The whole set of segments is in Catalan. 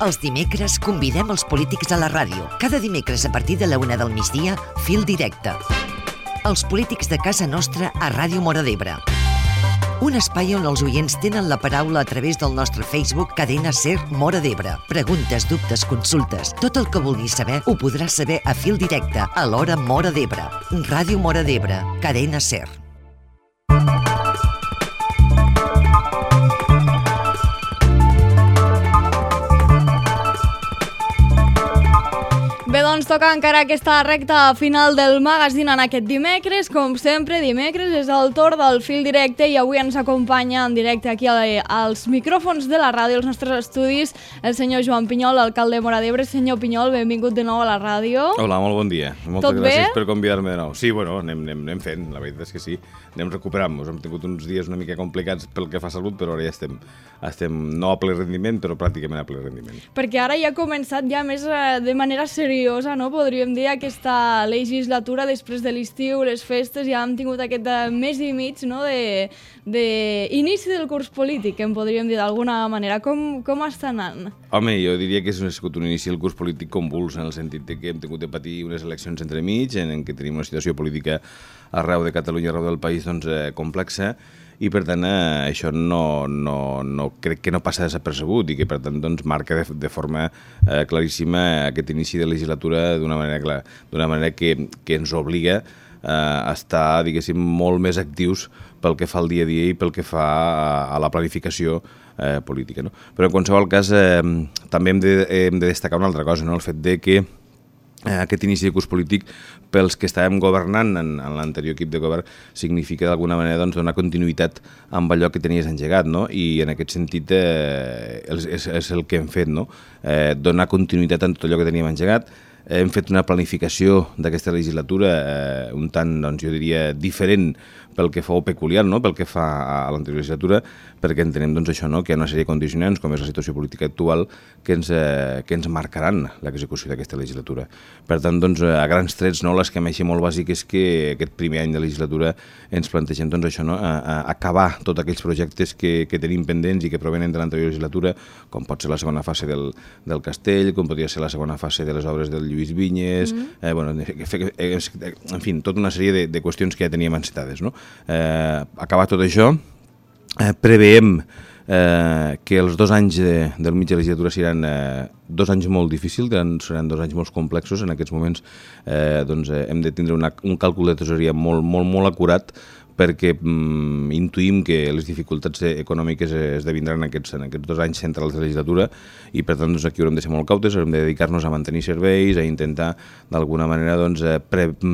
Els dimecres convidem els polítics a la ràdio. Cada dimecres a partir de la 1 del migdia, Fil Directe. Els polítics de casa nostra a Ràdio Móra d'Ebre. Un espai on els oients tenen la paraula a través del nostre Facebook Cadena Ser Móra d'Ebre. Preguntes, dubtes, consultes. Tot el que vulguis saber ho podràs saber a Fil Directe, a l'hora Móra d'Ebre. Ràdio Móra d'Ebre, Cadena Ser. Bé, doncs toca encara aquesta recta final del magazín en aquest dimecres. Com sempre, dimecres és el torn del Fil Directe i avui ens acompanya en directe aquí als micròfons de la ràdio, als nostres estudis, el senyor Joan Pinyol, alcalde de Móra d'Ebre. Senyor Pinyol, benvingut de nou a la ràdio. Hola, molt bon dia. Moltes gràcies per convidar-me de nou. Sí, bueno, anem fent, la veritat és que sí. Anem recuperant-nos. Hem tingut uns dies una mica complicats pel que fa a salut, però ara ja estem no a ple rendiment, però pràcticament a ple rendiment. Perquè ara ja ha començat ja més de manera seriosa, no? Podríem dir, aquesta legislatura després de l'estiu, les festes, ja hem tingut aquest mes i mig, no?, d'inici del curs polític, en podríem dir d'alguna manera. Com està anant? Home, jo diria que ha sigut un inici del curs polític convuls, en el sentit que hem tingut de patir unes eleccions entremig, en què tenim una situació política arreu de Catalunya, arreu del país, doncs, complexa, i per tant això crec que no passa desapercebut i que per tant doncs, marca de forma claríssima aquest inici de legislatura d'una manera clara, d'una manera que ens obliga a estar, diguéssim, molt més actius pel que fa al dia a dia i pel que fa a la planificació política, no? Però en qualsevol cas també hem de destacar una altra cosa, no? El fet de que aquest inici de curs polític pels que estàvem governant en l'anterior equip de govern significa d'alguna manera doncs, donar continuïtat amb allò que tenies engegat, no? I en aquest sentit és el que hem fet, no? Donar continuïtat en tot allò que teníem engegat. Hem fet una planificació d'aquesta legislatura un tant, doncs, jo diria, diferent pel que fa o peculiar, no?, pel que fa a l'anterior legislatura, perquè entenem doncs, això, no?, que hi ha una sèrie de condicionants, com és la situació política actual, que ens marcaran l'execució d'aquesta legislatura. Per tant, doncs, a grans trets, no?, l'esquema així molt bàsic és que aquest primer any de legislatura ens plantegem doncs, això, no?, acabar tots aquells projectes que tenim pendents i que provenen de l'anterior legislatura, com pot ser la segona fase del Castell, com podria ser la segona fase de les obres del Lluís Vinyes, en fi, tota una sèrie de qüestions que ja teníem encetades, no? Acabar tot això, preveiem que els 2 anys del mig de legislatura seran 2 anys molt difícils, seran 2 anys molt complexos. En aquests moments doncs, hem de tindre un càlcul de tresoreria molt acurat, perquè intuïm que les dificultats econòmiques esdevindran en aquests 2 anys centrals de legislatura i per tant doncs, aquí haurem de ser molt cautes, haurem de dedicar-nos a mantenir serveis, a intentar d'alguna manera doncs,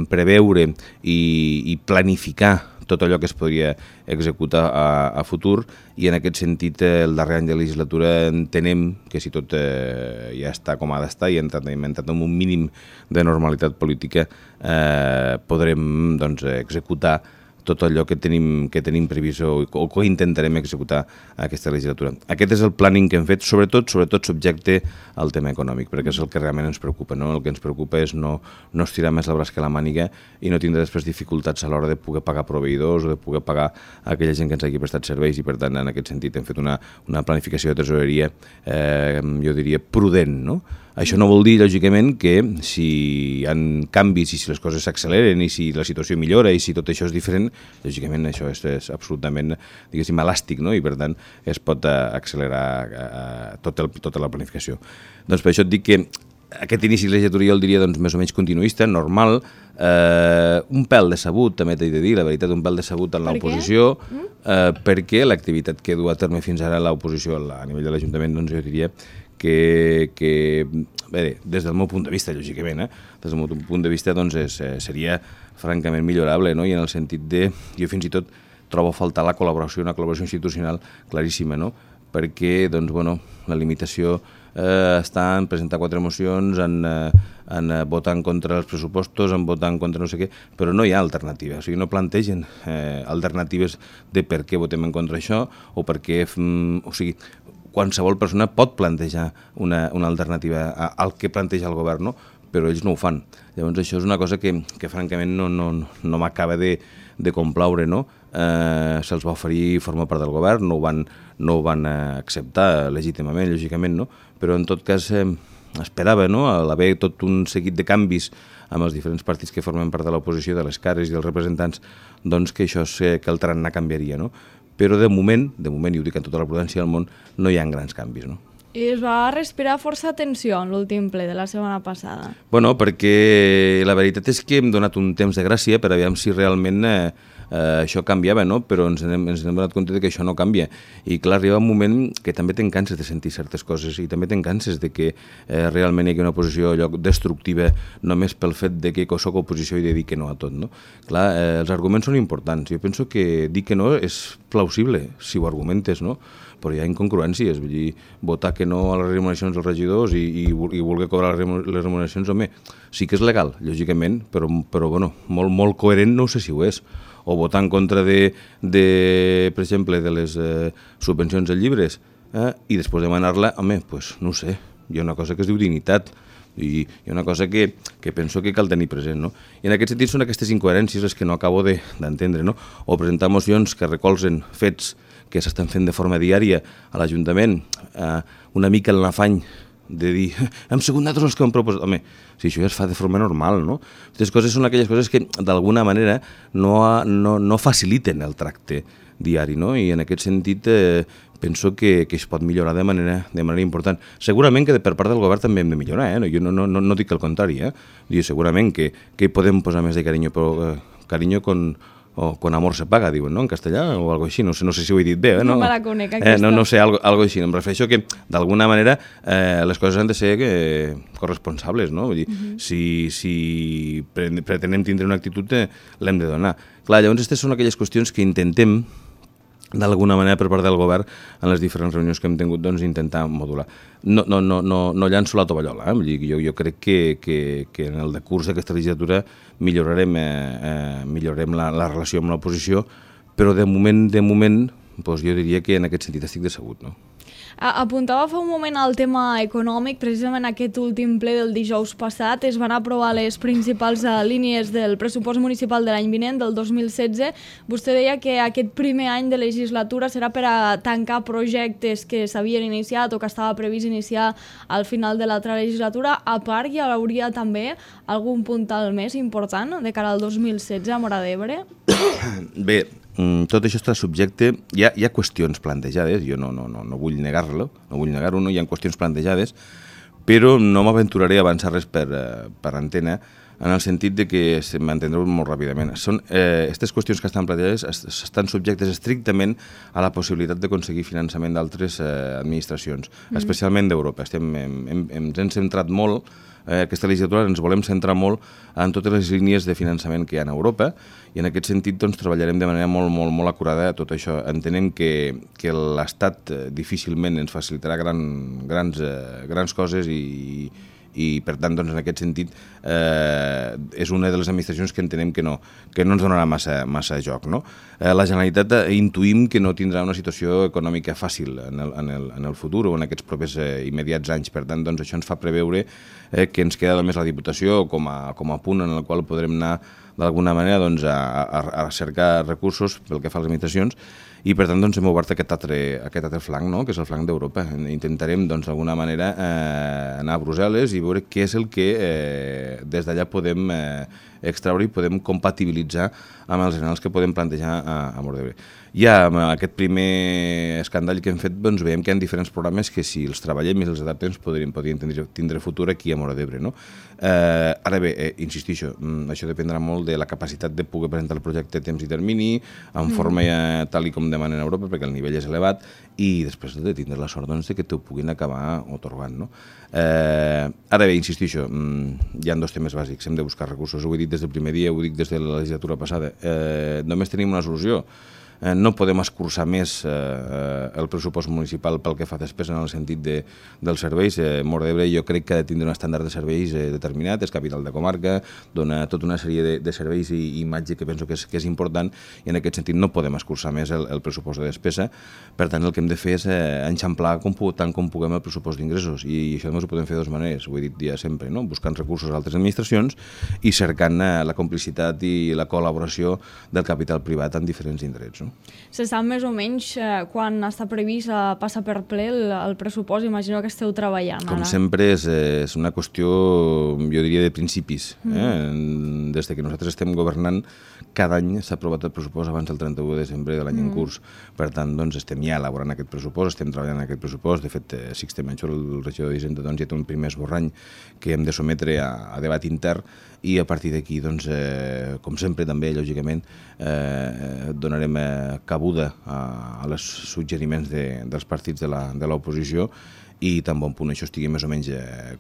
preveure i planificar tot allò que es podria executar a futur i en aquest sentit el darrer any de legislatura entenem que si tot ja està com ha d'estar i hem entrat en un mínim de normalitat política podrem doncs, executar tot allò que tenim previst o que intentarem executar aquesta legislatura. Aquest és el planning que hem fet, sobretot subjecte al tema econòmic, perquè és el que realment ens preocupa, no? El que ens preocupa és no estirar més el braç que la màniga i no tindre després dificultats a l'hora de poder pagar proveïdors o de poder pagar aquella gent que ens hagi prestat serveis i per tant en aquest sentit hem fet una planificació de tresoreria jo diria prudent, no? Això no vol dir, lògicament, que si hi ha canvis i si les coses s'acceleren i si la situació millora i si tot això és diferent, lògicament això és absolutament, diguéssim, elàstic, no? I per tant es pot accelerar tota la planificació. Doncs per això et dic que aquest inici de legislatura jo el diria doncs, més o menys continuista, normal, un pèl decebut, també t'he de dir, la veritat, un pèl decebut en l'oposició, perquè l'activitat que du a terme fins ara l'oposició a nivell de l'Ajuntament, doncs jo diria que bé, des del meu punt de vista, lògicament, des del meu punt de vista doncs, seria francament millorable, no? I en el sentit de, jo fins i tot trobo a faltar una col·laboració institucional claríssima, no? Perquè doncs, bueno, la limitació està en presentar 4 mocions, en votar en contra dels pressupostos, en votar en contra no sé què, però no hi ha alternativa, o sigui, no plantegen alternatives de per què votem en contra això o per què, o sigui, qualsevol persona pot plantejar una alternativa al que planteja el govern, no? però ells no ho fan. Llavors això és una cosa que francament no m'acaba de complaure, no? Se'ls va oferir formar part del govern, no ho van acceptar legítimament, lògicament, no? Però en tot cas esperava, no? A l'haver tot un seguit de canvis amb els diferents partits que formen part de l'oposició, de les cares i dels representants, doncs que això que el tarannà canviaria, no? Però de moment, i ho dic amb tota la prudència del món, no hi ha grans canvis, no? I es va respirar força tensió en l'últim ple de la setmana passada. Bueno, perquè la veritat és que hem donat un temps de gràcia per aviam si realment això canviava, no? Però ens hem donat compte que això no canvia. I clar, arriba un moment que també te'n canses de sentir certes coses i també te'n canses de que realment hi hagi una oposició lloc destructiva només pel fet de que soc oposició i de dir que no a tot, no? Clar, els arguments són importants. Jo penso que dir que no és plausible si ho argumentes, no? Però hi ha incongruències, vull dir, votar que no a les remuneracions dels regidors i voler cobrar les remuneracions, home, sí que és legal, lògicament, però bueno, molt coherent no sé si ho és. O votar en contra per exemple, de les subvencions de llibres i després demanar-la, home, doncs no ho sé, hi ha una cosa que es diu dignitat i hi ha una cosa que penso que cal tenir present, no? I en aquest sentit són aquestes incoherències les que no acabo d'entendre, no? O presentar mocions que recolzen fets que s'estan fent de forma diària a l'Ajuntament, una mica en l'afany de dir, hem sigut nosaltres els que hem proposat. Home, si això ja es fa de forma normal, no? Aquestes coses són aquelles coses que d'alguna manera no faciliten el tracte diari, no? I en aquest sentit penso que es pot millorar de manera important. Segurament que per part del govern també hem de millorar, jo no dic el contrari, segurament que hi podem posar més de carinyo, però carinyo con amor se paga, diuen, no?, en castellà, o algo així, no sé si ho he dit bé. No me la conec, aquesta. No sé, algo així. Em refereixo que, d'alguna manera, les coses han de ser corresponsables, no? Vull dir, si pretenem tindre una actitud, l'hem de donar. Clar, llavors, aquestes són aquelles qüestions que intentem, d'alguna manera, per part del govern, en les diferents reunions que hem tingut, doncs, intentar modular. No llanço la tovallola, Vull dir, jo crec que en el decurs d'aquesta legislatura millorarem la relació amb l'oposició, però de moment, doncs jo diria que en aquest sentit estic decebut, no? Apuntava fa un moment al tema econòmic. Precisament aquest últim ple del dijous passat es van aprovar les principals línies del pressupost municipal de l'any vinent, del 2016. Vostè deia que aquest primer any de legislatura serà per a tancar projectes que s'havien iniciat o que estava previst iniciar al final de l'altra legislatura. A part, hi hauria també algun puntal més important de cara al 2016 a Móra d'Ebre? Bé, tot això està subjecte, hi ha qüestions plantejades, jo no vull negar-ho, no hi ha qüestions plantejades, però no m'aventuraré a avançar res per antena, en el sentit de que m'entendreu molt ràpidament. Aquestes qüestions que estan plantejades estan subjectes estrictament a la possibilitat d'aconseguir finançament d'altres administracions, especialment d'Europa. Ens hem centrat molt, aquesta legislatura ens volem centrar molt en totes les línies de finançament que hi ha a Europa i en aquest sentit doncs, treballarem de manera molt acurada a tot això. Entenem que l'Estat difícilment ens facilitarà grans coses i per tant, doncs, en aquest sentit, és una de les administracions que entenem que no ens donarà massa joc, no? La Generalitat intuïm que no tindrà una situació econòmica fàcil en el futur o en aquests propers immediats anys. Per tant, doncs, això ens fa preveure que ens queda només la Diputació com a punt en el qual podrem anar d'alguna manera doncs, a cercar recursos pel que fa a les administracions i per tant doncs, hem obert aquest altre flanc, no? Que és el flanc d'Europa. Intentarem doncs, d'alguna manera anar a Brussel·les i veure què és el que des d'allà podem extraure i podem compatibilitzar amb els anals que podem plantejar a Móra d'Ebre. Ja amb aquest primer escandall que hem fet doncs, veiem que hi ha diferents programes que si els treballem i els adaptem podrien tindre futur aquí a Móra d'Ebre, no? Ara bé, insistixo, això dependrà molt de la capacitat de poder presentar el projecte a temps i termini, en forma tal i com demanen a Europa, perquè el nivell és elevat, i després de tindre la sort doncs, que t'ho puguin acabar otorgant, no? Ara bé, insistixo, hi ha dos temes bàsics, hem de buscar recursos, ho he dit des del primer dia, ho dic des de la legislatura passada, només tenim una solució, no podem escurçar més el pressupost municipal pel que fa a despesa en el sentit dels serveis. Móra d'Ebre jo crec que ha de tindre un estàndard de serveis determinat, és capital de comarca, dona tota una sèrie de serveis i imatge que penso que és important, i en aquest sentit no podem escurçar més el pressupost de despesa. Per tant, el que hem de fer és enxamplar tant com puguem el pressupost d'ingressos, i això només ho podem fer de dues maneres, ho he dit ja sempre, no? Buscant recursos a altres administracions i cercant la complicitat i la col·laboració del capital privat en diferents indrets. No? Se sap més o menys quan està previst passar per ple el pressupost? Imagino que esteu treballant. Com sempre és una qüestió, jo diria, de principis. Des que nosaltres estem governant, cada any s'ha aprovat el pressupost abans del 31 de desembre de l'any en curs. Per tant, doncs, estem ja elaborant aquest pressupost, estem treballant en aquest pressupost. De fet, Sixte Menchor, el regidor d'Hisenda, doncs, ja té un primer esborrany que hem de sometre a debat intern, i a partir d'aquí, doncs, com sempre també, lògicament, donarem cabuda als suggeriments dels partits de l'oposició, i tan bon punt això estigui més o menys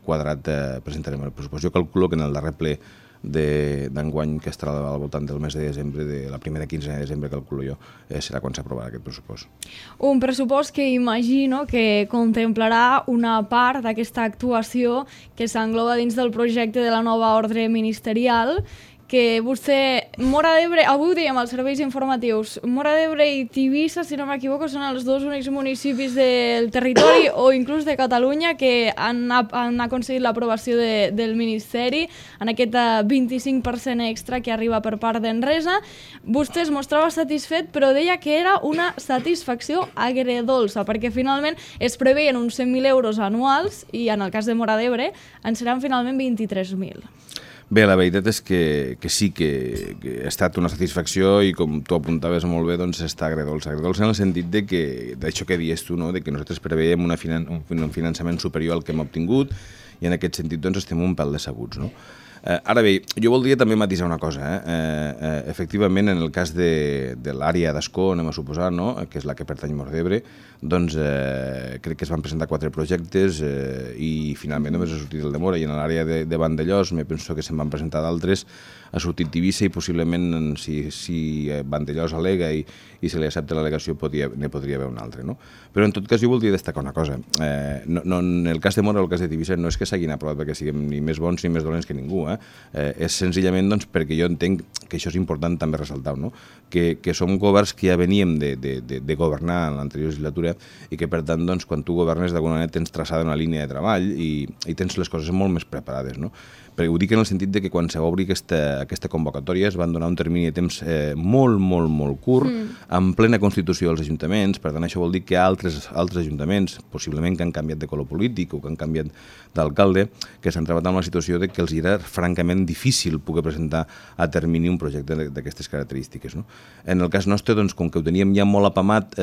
quadrat, presentarem el pressupost. Jo calculo que en el darrer ple d'enguany, que estarà al voltant del mes de desembre, de la primera quinzena de desembre, calculo jo, serà quan s'aprovarà aquest pressupost. Un pressupost que imagino que contemplarà una part d'aquesta actuació que s'engloba dins del projecte de la nova ordre ministerial, que vostè, Móra d'Ebre, avui ho dèiem als serveis informatius, Móra d'Ebre i Tivissa, si no m'equivoco, són els dos únics municipis del territori o inclús de Catalunya que han aconseguit l'aprovació del Ministeri en aquest 25% extra que arriba per part d'Enresa. Vostè es mostrava satisfet, però deia que era una satisfacció agredolça, perquè finalment es preveien uns 100.000 euros anuals i en el cas de Móra d'Ebre en seran finalment 23.000. Bé, la veritat és que sí que ha estat una satisfacció, i com tu apuntaves molt bé, doncs està agredolça. Agredolça en el sentit d'això que dius tu, no? De que nosaltres preveiem un finançament superior al que hem obtingut, i en aquest sentit doncs estem un pèl decebuts, no? Ara bé, jo voldria també matisar una cosa. Efectivament, en el cas de l'àrea d'Ascó, anem a suposar, no? Que és la que pertany a Móra d'Ebre, doncs crec que es van presentar 4 projectes i finalment només ha sortit el de Móra, i en l'àrea de Vandellòs me penso que se'n van presentar d'altres, ha sortit Tivissa, i possiblement si Vandellòs al·lega i se li accepta l'al·legació ne podria haver un altre, no? Però en tot cas jo voldria destacar una cosa. En el cas de Móra o el cas de Tivissa no és que s'hagin aprovat perquè siguem ni més bons ni més dolents que ningú, és senzillament doncs, perquè jo entenc que això és important també ressaltar, no? Que som governs que ja veníem de governar en l'anterior legislatura, i que per tant doncs, quan tu governes d'alguna manera tens traçada una línia de treball i tens les coses molt més preparades, no? Perquè ho dic en el sentit de que quan s'obri aquesta convocatòria es van donar un termini de temps molt curt, en plena constitució dels ajuntaments. Per tant, això vol dir que altres ajuntaments, possiblement que han canviat de color polític o que han canviat d'alcalde, que s'han trobat amb la situació de que els era francament difícil poder presentar a termini un projecte d'aquestes característiques, no? En el cas nostre, doncs, com que ho teníem ja molt apamat,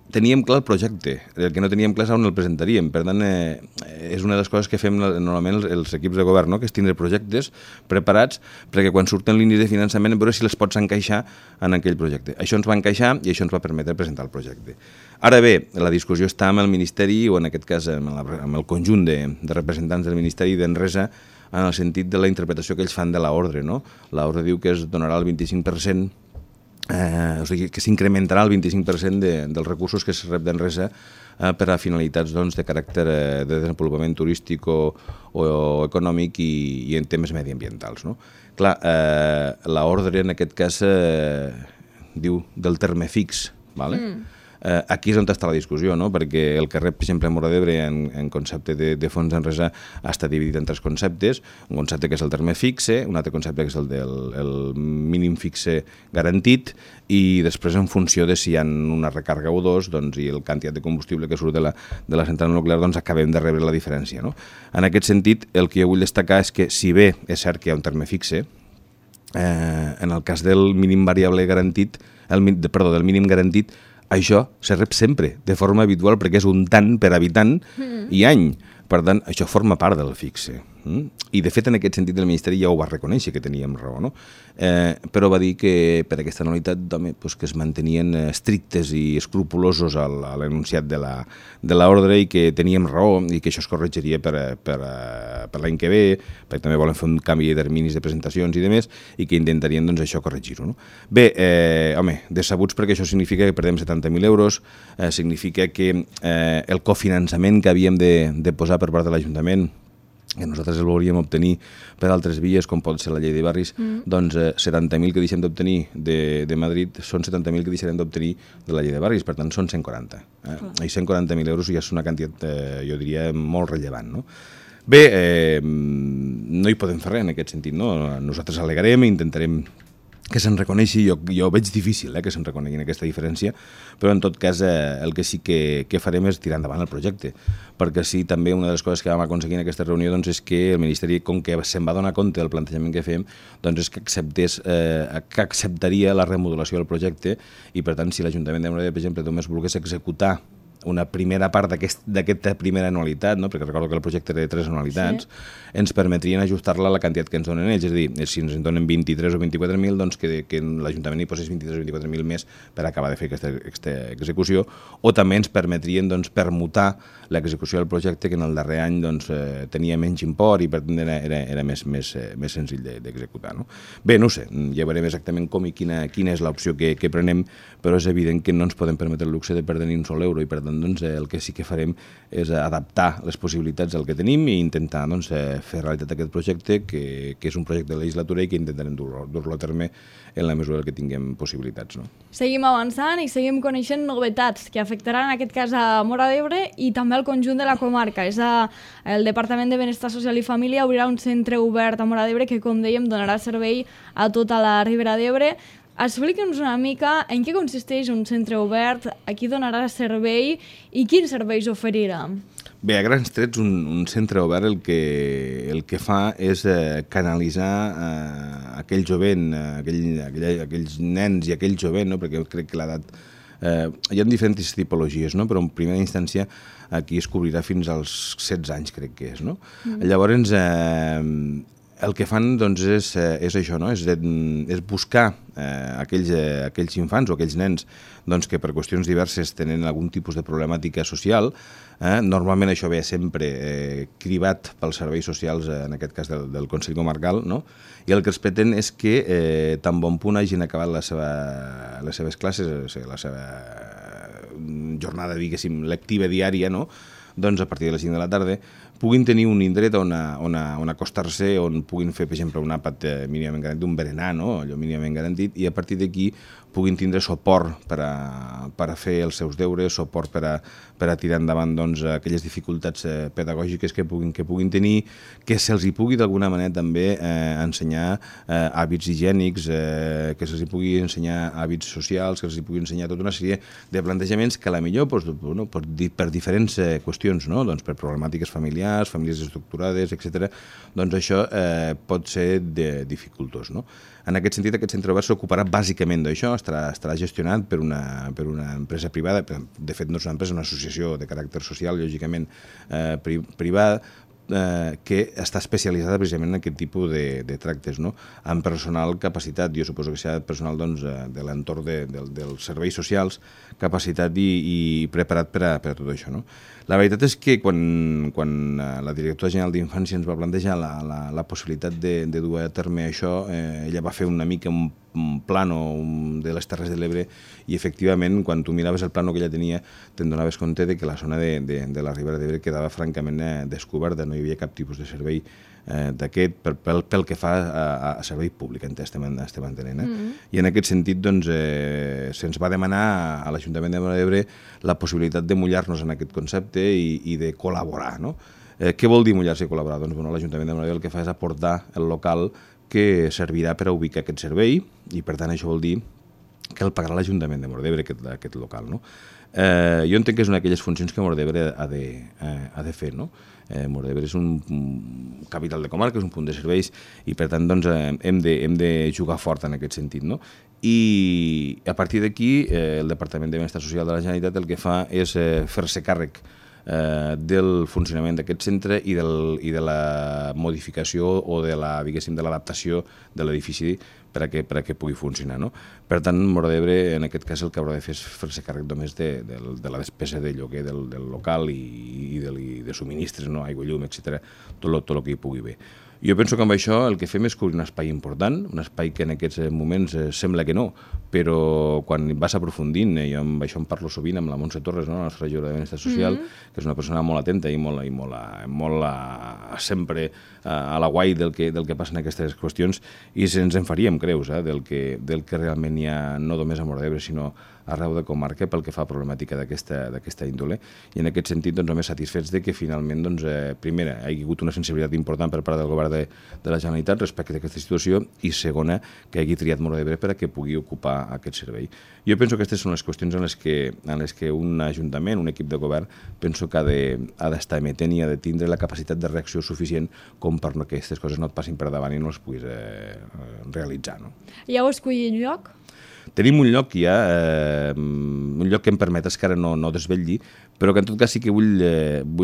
teníem clar el projecte, el que no teníem clar és on el presentaríem. Per tant, és una de les coses que fem normalment els equips de govern, no? Que és tindre projectes preparats perquè quan surten línies de finançament veure si les pots encaixar en aquell projecte. Això ens va encaixar i això ens va permetre presentar el projecte. Ara bé, la discussió està amb el Ministeri, o en aquest cas amb el conjunt de representants del Ministeri d'Enresa, en el sentit de la interpretació que ells fan de l'ordre, no? L'ordre diu que es donarà el 25%, o sigui, que s'incrementarà el 25% dels recursos que es rep d'Enresa per a finalitats doncs, de caràcter de desenvolupament turístic o econòmic i en temes mediambientals, no? Clar, l'ordre en aquest cas diu del terme fix, ¿vale? Aquí és on està la discussió, no? Perquè el que rep, per exemple, a Móra d'Ebre en concepte de fons d'Enresa està dividit en 3 conceptes. Un concepte que és el terme fixe, un altre concepte que és el del mínim fixe garantit, i després en funció de si hi ha una recàrrega o dos, doncs, i el quantitat de combustible que surt de la central nuclear, doncs acabem de rebre la diferència, no? En aquest sentit, el que jo vull destacar és que, si bé és cert que hi ha un terme fixe, en el cas del mínim variable garantit, del mínim garantit, això se rep sempre, de forma habitual, perquè és un tant per habitant i any. Per tant, això forma part del fixe. I, de fet, en aquest sentit, el Ministeri ja ho va reconèixer, que teníem raó, no? Però va dir que per aquesta anualitat que es mantenien estrictes i escrupulosos a l'enunciat de l'ordre i que teníem raó i que això es corregiria per l'any que ve, perquè també volen fer un canvi de terminis de presentacions i demés, i que intentarien això corregir-ho. Bé, home, decebuts perquè això significa que perdem 70.000 euros, significa que el cofinançament que havíem de posar per part de l'Ajuntament, que nosaltres el volíem obtenir per altres vies, com pot ser la llei de barris, doncs 70.000 que deixem d'obtenir de Madrid són 70.000 que deixarem d'obtenir de la llei de barris, per tant són 140. I 140.000 euros ja és una quantitat, jo diria, molt rellevant, no? Bé, no hi podem fer res en aquest sentit, no? Nosaltres al·legarem i intentarem que se'n reconeixi, jo veig difícil que se'n reconeguin aquesta diferència, però en tot cas el que sí que farem és tirar endavant el projecte, perquè sí, també una de les coses que vam aconseguir en aquesta reunió és que el Ministeri, com que se'n va donar compte del plantejament que fem, doncs és que acceptaria la remodelació del projecte i, per tant, si l'Ajuntament de Móra d'Ebre, per exemple, només volgués executar una primera part d'aquesta primera anualitat, no? Perquè recordo que el projecte era de 3 anualitats, ens permetrien ajustar-la a la quantitat que ens donen ells, és a dir, si ens en donen 23 o 24.000, doncs que l'Ajuntament hi posés 23 o 24.000 més per acabar de fer aquesta execució, o també ens permetrien permutar l'execució del projecte, que en el darrer any tenia menys import i per tant era més senzill d'executar. No? Bé, no ho sé, ja veurem exactament com i quina és l'opció que prenem, però és evident que no ens podem permetre el luxe de perdre ni un sol euro i per tant el que sí que farem és adaptar les possibilitats al que tenim i intentar fer realitat aquest projecte, que és un projecte de legislatura i que intentarem dur-lo a terme en la mesura que tinguem possibilitats. No? Seguim avançant i seguim coneixent novetats que afectaran en aquest cas a Móra d'Ebre i també al conjunt de la comarca. El Departament de Benestar Social i Família obrirà un centre obert a Móra d'Ebre que, com dèiem, donarà servei a tota la Ribera d'Ebre. Explica'ns una mica en què consisteix un centre obert, a qui donarà servei i quins serveis oferirà. Bé, a grans trets, un centre obert el que fa és canalitzar aquell jovent, aquells nens i aquell jovent, no? Perquè crec que l'edat... hi ha diferents tipologies, no? Però en primera instància aquí es cobrirà fins als 16 anys, crec que és. No? Llavors, el que fan és això, no? És buscar aquells infants o aquells nens que per qüestions diverses tenen algun tipus de problemàtica social. Normalment això ve sempre cribat pels serveis socials, en aquest cas del Consell Comarcal, no? I el que es pretén és que tan bon punt hagin acabat les seves classes, la seva jornada, diguéssim, lectiva diària, no? Doncs a partir de les 5 de la tarda puguin tenir un indret on acostar-se, on puguin fer, per exemple, un àpat mínimament garantit, un berenar, no? Allò mínimament garantit, i a partir d'aquí puguin tindre suport per a fer els seus deures, suport per a tirar endavant aquelles dificultats pedagògiques que puguin tenir, que se'ls hi pugui d'alguna manera també ensenyar hàbits higiènics, que se'ls hi pugui ensenyar hàbits socials, que se'ls hi pugui ensenyar tota una sèrie de plantejaments que potser per diferents qüestions, no? Per problemàtiques familiars, famílies estructurades, etc. Doncs això pot ser dificultós, no? En aquest sentit, aquest centre obert s'ocuparà bàsicament d'això, estarà gestionat per una empresa privada, de fet no és una empresa, és una associació de caràcter social, lògicament privada, que està especialitzada precisament en aquest tipus de tractes, no? Amb personal capacitat, jo suposo que serà personal de l'entorn dels serveis socials, capacitat i preparat per a tot això, no? La veritat és que quan la directora general d'Infància ens va plantejar la possibilitat de dur a terme això, ella va fer una mica un plano de les Terres de l'Ebre i efectivament quan tu miraves el plano que ella tenia te'n donaves compte de que la zona de la Ribera d'Ebre quedava francament descoberta, no hi havia cap tipus de servei d'aquest pel que fa a servei públic, estem entenent. I en aquest sentit se'ns va demanar a l'Ajuntament de Móra d'Ebre la possibilitat de mullar-nos en aquest concepte i de col·laborar, no? Què vol dir mullar-se i col·laborar? Doncs l'Ajuntament de Móra d'Ebre el que fa és aportar el local que servirà per a ubicar aquest servei i per tant això vol dir que el pagarà l'Ajuntament de Móra d'Ebre, aquest local, no? Jo entenc que és una d'aquelles funcions que Móra d'Ebre ha de fer, no? Móra d'Ebre és un capital de comarca, és un punt de serveis i per tant hem de jugar fort en aquest sentit, no? I a partir d'aquí el Departament de Benestar Social de la Generalitat el que fa és fer-se càrrec del funcionament d'aquest centre i de la modificació o de l'adaptació de l'edifici per a que pugui funcionar. No? Per tant, Móra d'Ebre, en aquest cas, el que haurà de fer és fer-se càrrec només de la despesa de lloguer del local i de subministres, no? Aigua, llum, etc. Tot el que hi pugui haver. Jo penso que amb això el que fem és cobrir un espai important, un espai que en aquests moments sembla que no, però quan vas aprofundint, jo amb això em parlo sovint amb la Montse Torres, no? La nostra regidora de Benestar Social, que és una persona molt atenta i molt sempre a la guai del que passa en aquestes qüestions, i ens en faríem creus del que realment hi ha no només a Móra d'Ebre, sinó arreu de comarca pel que fa a problemàtica d'aquesta índole. I en aquest sentit, doncs, només satisfets de que finalment, doncs, primera, hi ha hagut una sensibilitat important per part del govern de la Generalitat respecte a aquesta situació, i segona, que hagi triat Móra d'Ebre per a que pugui ocupar aquest servei. Jo penso que aquestes són les qüestions en les que un ajuntament, un equip de govern, penso que ha d'estar emetent i ha de tindre la capacitat de reacció suficient com per que aquestes coses no et passin per davant i no les puguis realitzar. No? Ja heu escollit lloc? Tenim un lloc ja, un lloc que em permetes que ara no desvetlli, però que en tot cas sí que vull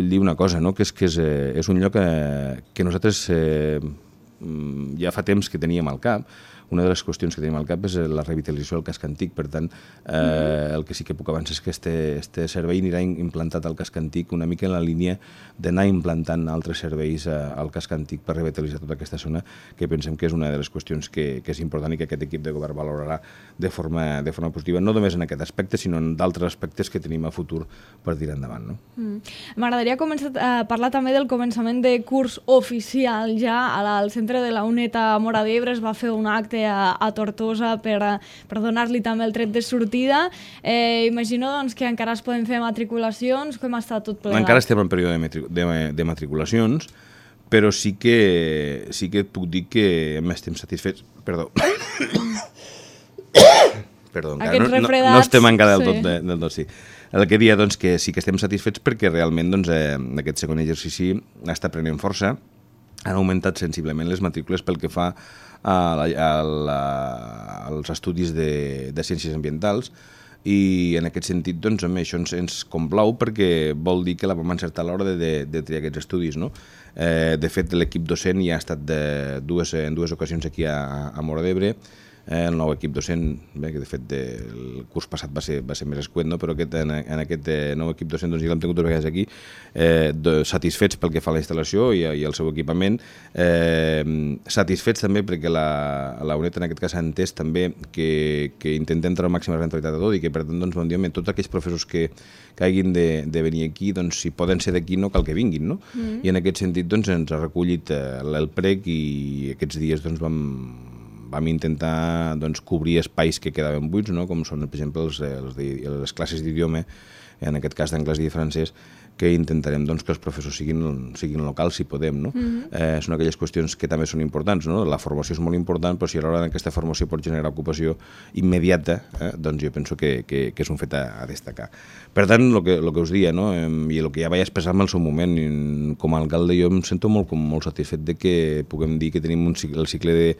dir una cosa, no? Que és un lloc que nosaltres ja fa temps que teníem al cap. Una de les qüestions que tenim al cap és la revitalització del casc antic, per tant, el que sí que puc avançar és que este servei anirà implantat al casc antic una mica en la línia d'anar implantant altres serveis al casc antic per revitalitzar tota aquesta zona, que pensem que és una de les qüestions que és important i que aquest equip de govern valorarà de forma positiva, no només en aquest aspecte, sinó en d'altres aspectes que tenim a futur per tirar endavant. No? M'agradaria començar a parlar també del començament de curs oficial. Ja al centre de la UNED a Móra d'Ebre es va fer un acte a Tortosa per donar-li també el tret de sortida. Imagino doncs, que encara es poden fer matriculacions. Com està tot plegat? Encara estem en període de matriculacions, però sí que et puc dir que estem satisfets. Perdó. Perdó, no estem encara del tot, sí. El que dia, doncs, que sí que estem satisfets perquè realment doncs, aquest segon exercici està prenent força. Han augmentat sensiblement les matrícules pel que fa als estudis de ciències ambientals, i en aquest sentit doncs, això ens complau perquè vol dir que la vam encertar a l'hora de triar aquests estudis. No? De fet, l'equip docent ja ha estat en dues ocasions aquí a Móra d'Ebre. El nou equip docent, que de fet el curs passat va ser més escuet, no? Però en aquest nou equip docent doncs, ja l'hem tingut dues vegades aquí, satisfets pel que fa a la instal·lació i el seu equipament, satisfets també perquè la UNED en aquest cas ha entès també que intentem treure màxima rentabilitat de tot i que per tant doncs, tots aquells professors que hagin de venir aquí, doncs, si poden ser d'aquí no cal que vinguin, no? I en aquest sentit doncs, ens ha recollit el prec i aquests dies doncs, vam intentar doncs, cobrir espais que quedaven buits, no? Com són, per exemple, les classes d'idioma, en aquest cas d'anglès i de francès, que intentarem doncs, que els professors siguin locals si podem. No? Són aquelles qüestions que també són importants. No? La formació és molt important, però si a l'hora aquesta formació pot generar ocupació immediata, doncs jo penso que és un fet a destacar. Per tant, el que us dia, no? I el que ja vaig expressar-me al seu moment, com a alcalde jo em sento molt satisfet de que puguem dir que tenim el cicle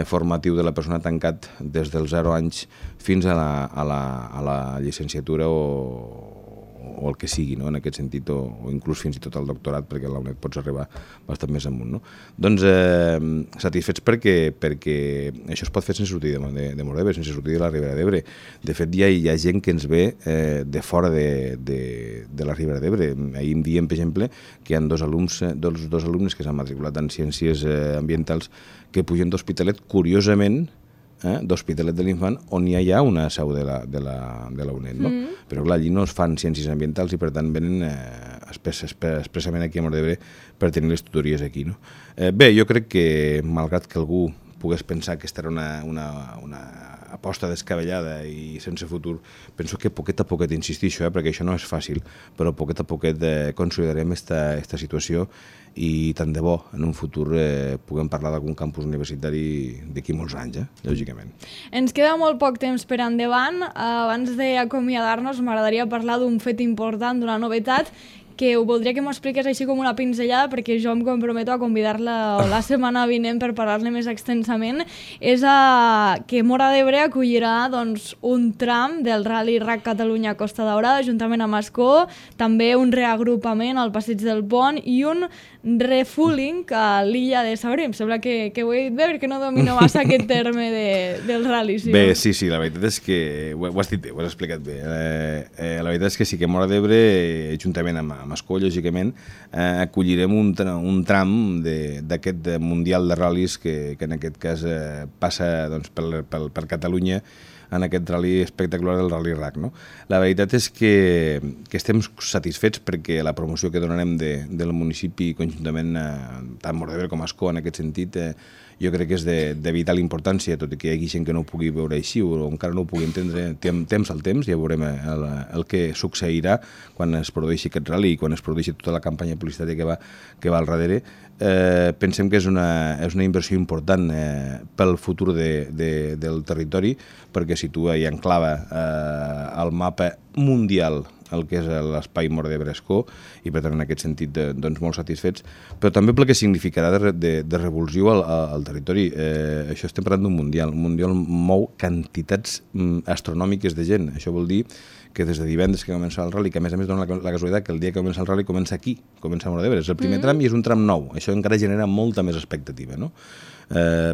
formatiu de la persona tancat des dels 0 anys fins a la llicenciatura o el que sigui, no? En aquest sentit, o inclús fins i tot al doctorat, perquè a la UNED pots arribar bastant més amunt. No? Doncs satisfets perquè això es pot fer sense sortir de Móra d'Ebre, sense sortir de la Ribera d'Ebre. De fet, hi ha gent que ens ve de fora de la Ribera d'Ebre. Ahir em diem, per exemple, que hi ha dos alumnes que s'han matriculat en ciències ambientals que pugen d'Hospitalet, curiosament, d'Hospitalet de l'Infant, on ja hi ha una seu de la UNED. No? Però clar, allí no es fan ciències ambientals i per tant venen expressament aquí a Móra d'Ebre per tenir les tutories aquí. No? Bé, jo crec que, malgrat que algú pogués pensar que aquesta era una aposta descabellada i sense futur, penso que poquet a poquet, insistixo, perquè això no és fàcil, però poquet a poquet consolidarem aquesta situació i tant de bo en un futur puguem parlar d'algun campus universitari d'aquí molts anys, lògicament. Ens queda molt poc temps per endavant. Abans d'acomiadar-nos m'agradaria parlar d'un fet important, d'una novetat que ho voldria que m'ho expliqués així com una pinzellada, perquè jo em comprometo a convidar-la la setmana vinent per parlar-ne més extensament, és que Móra d'Ebre acollirà doncs, un tram del Rally RAC Catalunya Costa Daurada, juntament amb Ascó, també un reagrupament al Passeig del Pont i un refueling a l'illa de Sabré. Em sembla que ho he dit bé, perquè no domino massa aquest terme del rally. Sí, bé, sí, la veritat és que ho has dit bé, ho has explicat bé. La veritat és que sí que Móra d'Ebre, juntament amb Ascó, lògicament, acollirem un tram d'aquest Mundial de Ral·lis que en aquest cas passa doncs, per Catalunya, en aquest rally espectacular del Rally RAC. No? La veritat és que estem satisfets perquè la promoció que donarem del municipi conjuntament, tant Móra d'Ebre com Ascó, en aquest sentit, jo crec que és de vital importància, tot i que hi hagi gent que no ho pugui veure així o encara no ho pugui entendre temps al temps, ja veurem el que succeirà quan es produeixi aquest rally i quan es produeixi tota la campanya publicitària que va al darrere. Pensem que és una inversió important pel futur del territori, perquè situa i enclava al mapa mundial el que és l'espai Móra d'Ebre-Ascó, i per tant en aquest sentit doncs, molt satisfets, però també pel que significarà de revulsiu al territori. Això estem parlant d'un mundial. Un mundial mou quantitats astronòmiques de gent. Això vol dir que des de divendres que comença el rally, que a més dona la casualitat que el dia que comença el rally comença aquí, comença a Móra d'Ebre. És el primer tram i és un tram nou. Això encara genera molta més expectativa, no?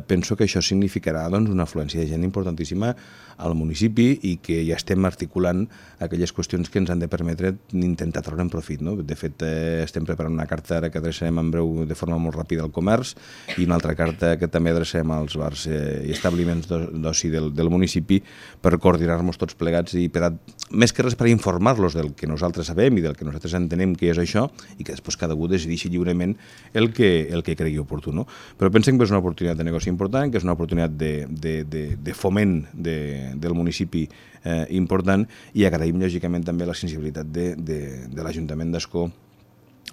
Penso que això significarà doncs, una afluència de gent importantíssima al municipi i que ja estem articulant aquelles qüestions que ens han de permetre intentar treure'n profit. No? De fet, estem preparant una carta ara que adreçarem en breu de forma molt ràpida al comerç i una altra carta que també adreçarem als bars i establiments d'oci del municipi per coordinar-nos tots plegats i més que res per informar-los del que nosaltres sabem i del que nosaltres entenem que és això i que després cada un decideixi lliurement el que cregui oportú. No? Però pensem que és una oportunitat de negoci important, que és una oportunitat de foment del municipi important i agraïm lògicament també la sensibilitat de l'Ajuntament d'Ascó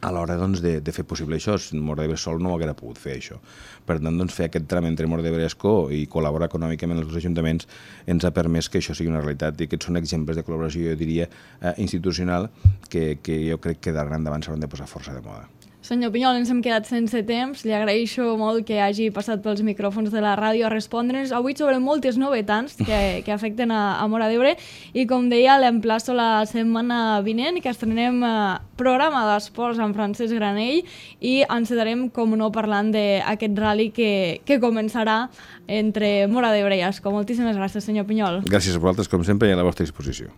a l'hora doncs, de fer possible això. Móra d'Ebre sol no haguera pogut fer això. Per tant, doncs, fer aquest tram entre Móra d'Ebre i Ascó i col·laborar econòmicament els dos ajuntaments ens ha permès que això sigui una realitat i aquests són exemples de col·laboració, jo diria, institucional que jo crec que d'ara endavant s'hauran de posar força de moda. Senyor Pinyol, ens hem quedat sense temps. Li agraeixo molt que hagi passat pels micròfons de la ràdio a respondre'ns avui sobre moltes novetats que afecten a Móra d'Ebre i, com deia, l'emplaço la setmana vinent que estrenem programa d'esports amb Francesc Granell i ens quedarem, com no, parlant d'aquest rally que començarà entre Móra d'Ebre i Ascó. Moltíssimes gràcies, senyor Pinyol. Gràcies a vosaltres, com sempre, i a la vostra disposició.